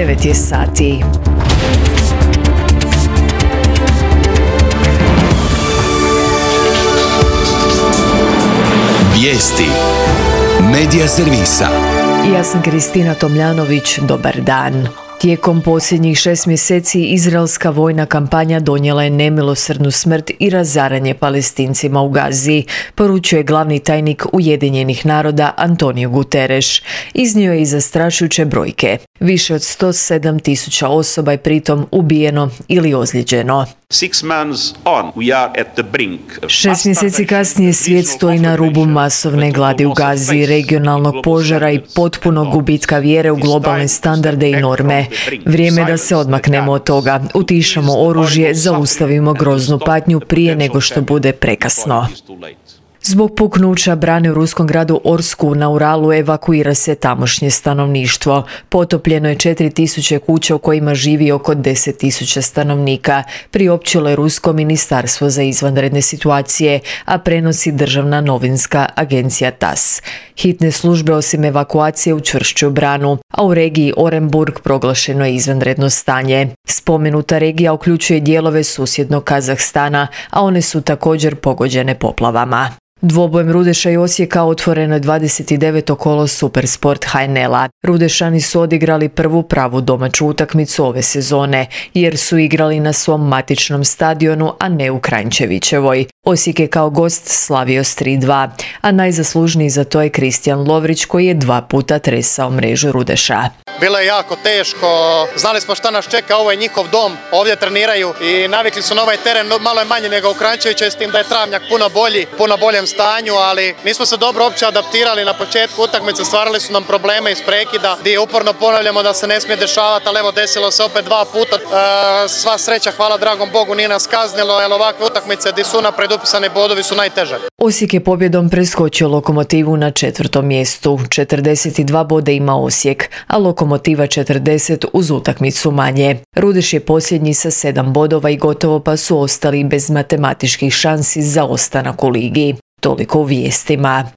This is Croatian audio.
9 je sati. Vijesti Medija servisa. Ja sam Kristina Tomljanović, dobar dan. Tijekom posljednjih 6 mjeseci izraelska vojna kampanja donijela je nemilosrdnu smrt i razaranje Palestincima u Gazi, poručuje glavni tajnik Ujedinjenih naroda Antonio Guterres. Iznio je i zastrašujuće brojke. Više od 107.000 osoba je pritom ubijeno ili ozlijeđeno. 6 mjeseci kasnije svijet stoji na rubu masovne gladi u Gazi, regionalnog požara i potpunog gubitka vjere u globalne standarde i norme. Vrijeme da se odmaknemo od toga, utišamo oružje, zaustavimo groznu patnju prije nego što bude prekasno. Zbog puknuća brane u ruskom gradu Orsku na Uralu evakuira se tamošnje stanovništvo. Potopljeno je 4.000 kuća u kojima živi oko 10.000 stanovnika, priopćilo je Rusko ministarstvo za izvanredne situacije, a prenosi državna novinska agencija TASS. Hitne službe osim evakuacije učvršćuju branu, a u regiji Orenburg proglašeno je izvanredno stanje. Spomenuta regija uključuje dijelove susjednog Kazahstana, a one su također pogođene poplavama. Dvobojem Rudeša i Osijeka otvoreno je 29. kolo Supersport HNL-a. Rudešani su odigrali prvu pravu domaću utakmicu ove sezone, jer su igrali na svom matičnom stadionu, a ne u Kranjčevićevoj. Osijek je kao gost slavio s 3-2, a najzaslužniji za to je Kristijan Lovrić, koji je 2 puta tresao mrežu Rudeša. Bilo je jako teško, znali smo šta nas čeka, ovo je njihov dom, ovdje treniraju i navikli su na ovaj teren, malo je manje nego u Kranjčeviću, s tim da je travnjak puno boljem stanju, ali mi smo se dobro opće adaptirali na početku utakmice, stvarali su nam probleme iz prekida, gdje uporno ponavljamo da se ne smije dešavati, ali evo desilo se opet 2 puta. Sva sreća, hvala dragom Bogu, nije nas kaznilo, jer ovakve utakmice gdje su napred upisane bodovi su najteže. Osijek je pobjedom preskočio Lokomotivu na 4. mjestu. 42 bode ima Osijek, a Lokomotiva 40 uz utakmicu manje. Rudeš je posljednji sa 7 bodova i gotovo pa su ostali bez matematičkih šansi za ostanak u ligi. Toliko u vijestima.